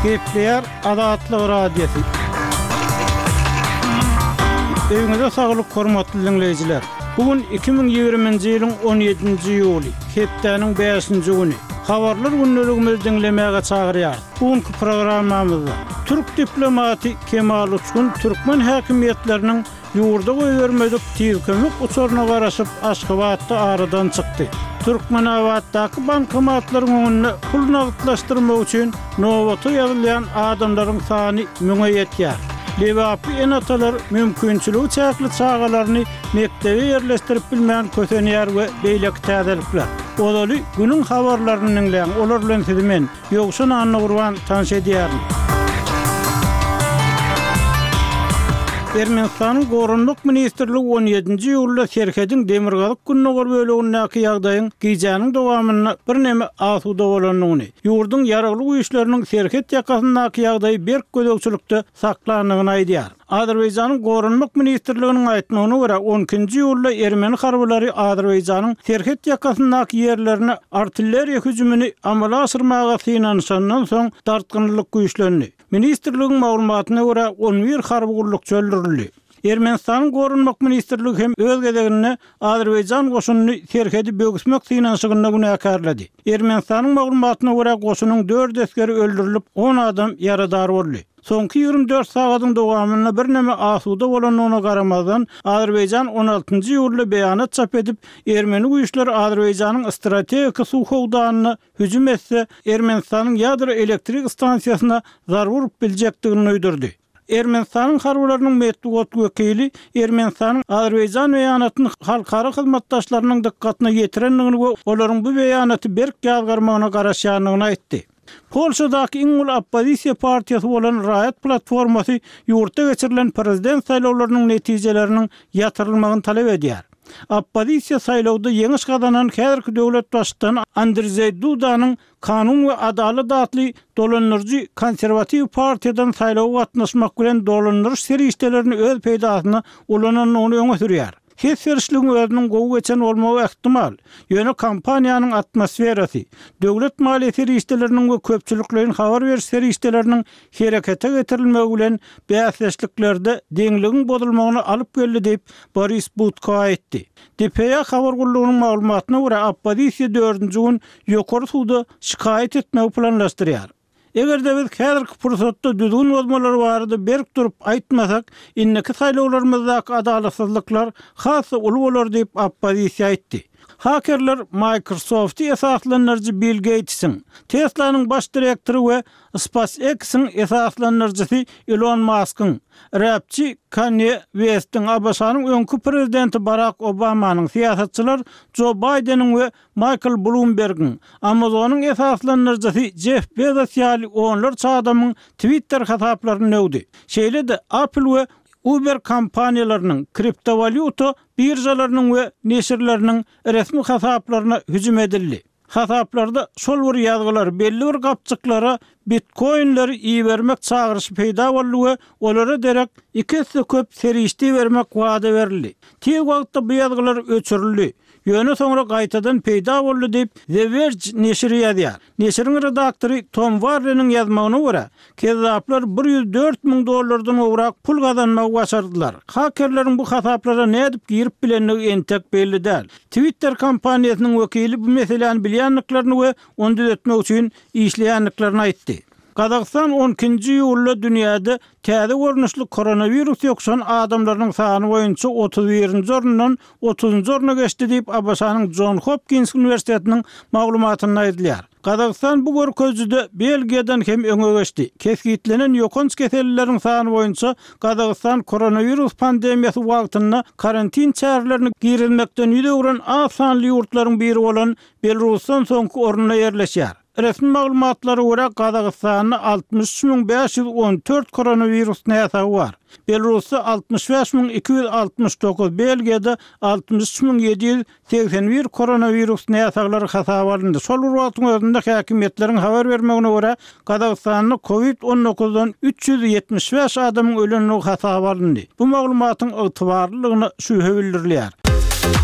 Gepleýär Azatlyk Radiosy. Öýüňize saglyk hormatly diňleýjiler! Bu gün 2020-nji ýylyň 17-nji iýuly, hepdäniň bäşinji güni. Habarlar gündeligimizi diňlemäge çagyrýarys. Bu günki programmamyzda türk diplomaty Kemal Uçgun türkmen häkimiýetleriniň Ýurda goýbermedik tiz kömek uçaryna garaşyp, Aşgabatda aradan çykdy. Türkmenabatdaky bankomatlaryň öňünde pul nagtlaşdyrmak üçin nobata ýazylýan adamlaryň sany müňe ýetýär. Lebaply ene-atalar mümkinçiligi çäkli çagalaryny mekdebe ýerleşdirip bilmän kösenýär we beýleki täzelikler. Ozaly günüň habarlaryny diňläň, olar bilen sizi men, Ýowşan Annagurban tanyş edýärin. Ermenistanyň Goranmak ministrligi on ýedinji iýulda serhediň demirgazyk-gündogar bölegindäki ýagdaýyň gijäniň dowamynda birneme asuda bolandygyny, ýurduň Ýaragly Güýçleriniň serhet ýakasyndaky ýagdaýy berk gözegçilikde saklandygyny aýdýar. Azerbaýjanyň Goranmak ministrliginiň aýtmagyna görä, on ikinji iýulda ermeni harbylary Azerbaýjanyň serhet ýakasyndaky ýerlerine artilleriýa hüjümini amala aşyrmaga synanyşandan soň dartgynlylyk güýçlendi. Ministrligiň maglumatyna görä, on bir harby gullukçy öldürildi. Ermenistanyň Goranmak ministrligi hem öz gezeginde Azerbaýjan goşunyny serhedi böwüsmek synanyşygynda günäkärledi. Ermenistanyň maglumatyna görä, goşunyň dört esgeri öldürilip, on adam ýaradar boldy. Soňky 24 sagadyň dowamynda birneme asuda bolandygyna garamazdan, Azerbaýjan on altynjy iýulda beýanat çap edip, ermeni güýçleri Azerbaýjanyň strategik suw howdanyna hüjüm etse, Ermenistanyň ýadro elektrik stansiýasyna zarba urup biljekdigini duýdurdy. Ermenistanyň harbylarynyň metbugat wekili Ermenistanyň Azerbaýjan beýanatyny halkara hyzmatdaşlarynyň dykgatyna ýetirendigini we olaryň bu beýanaty berk ýazgarmagyna garaşýandygyny aýtdy. Polşadaky iň uly oppozisiýa partiýasy bolan Raýat platformasy ýurtda geçirilen prezident saýlawlarynyň netijeleriniň ýatyrylmagyny talap edýär. Oppozisiýa saýlawda ýeňiş gazanan häzirki döwlet baştutany Andrzeý Dudanyň Kanun we adalat atly dolandyryjy konserwatiw partiýadan saýlawa gatnaşmak bilen dolandyryş serişdelerini öz peýdasyna ulanandygyny öňe sürýär. Ses berişligiň özüniň gowy geçen bolmagy ähtimal, ýöne kampaniýanyň atmosferasy, döwlet maliýe serişdeleriniň we köpçülikleýin habar beriş serişdeleriniň herekete getirilmegi bilen bäsdeşliklerde deňligiň bozulmagyna alyp geldi diýip, Boris Budko aýtdy. DPA habar gullugynyň maglumatyna görä, oppozisiýa dördünji gün Ýokary suda şikaýat etmegi planlaşdyrýar. Eger-de biz häzirki pursatda düzgün bozmalar barada berk durup aýtmasak, indiki saýlawlarymyzdaky adalatsyzlyklar has-da uly bolar diýip, oppozisiýa aýtdy. Hakerler Microsoft-y esaslandyryjy Bill Geýtisiň, Tesla-nyň baş direktory we SpaceX-iň esaslandyryjysy Ilon Maskyň, räpçi Kanye Westiň, ABŞ-nyň öňki prezidenti Barak Obamanyň, syýasatçylar Jo Baýdeniň we Maýkl Blumbergiň, Amazonyň esaslandyryjysy Jeff Bezos ýaly onlarça adamyň Twitter hasaplaryny döwdi. Şeýle-de Apple we Uber kompaniýalarynyň, kriptowalýuta biržalarynyň we neşirleriniň resmi hasaplaryna hüjüm edildi. Hasaplarda şol bir ýazgylar, belli bir gapjyklara bitkoinleri ibermek çagyryşy peýda boldy we olara derek iki esse köp serişde ibermek wada berildi. Tiz wagtda bu ýazgylar öçürildi. Ýöne soňra gaýtadan peýda boldy diýip, The Verge neşiri ýazýar. Neşiriň redaktory Tom Warreniň ýazmagyna görä, kezzaplar 104 müň dollardan gowrak pul gazanmagy başardylar. Hakerleriň bu hasaplara nädip girip bilendigi entek belli däl. Twitter kompaniýasynyň wekili bu meseläni bilýändiklerini we ony düzetmek üçin işleýändiklerini aýtdy. Gazagystan on ikinji iýulda dünýäde täze görnüşli koronawirus ýokuşan adamlarynyň sany boýunça otuz birinji orundan otuzynjy orna geçdi diýip, ABŞ-nyň Jon Hopkins uniwersitetiniň maglumatynda aýdylýar. Gazagystan bu görkezijide Belgiýadan hem öňe geçdi. Kesgitlenen ýokanç kesellileriň sany boýunça Gazagystan koronawirus pandemiýasy wagtynda karantin çärelerini girizmekden ýüz öwren az sanly ýurtlaryň biri bolan Belarusdan soňky orunda ýerleşýär. Resmi maglumatlara görä, Gazagystanda 63 514 koronawirus näsagy bar. Belarusda 65 269, Belgiýada 63 781 koronawirus näsaglary hasaba alyndy. Şol bir wagtyň özünde häkimiýetleriň habar bermegine görä, Gazagystanda covid on dokuzdan 375 adamyň ölendigi hasaba alyndy. Bu maglumatyň ygtybarlylygyna şübhe bildirilýär.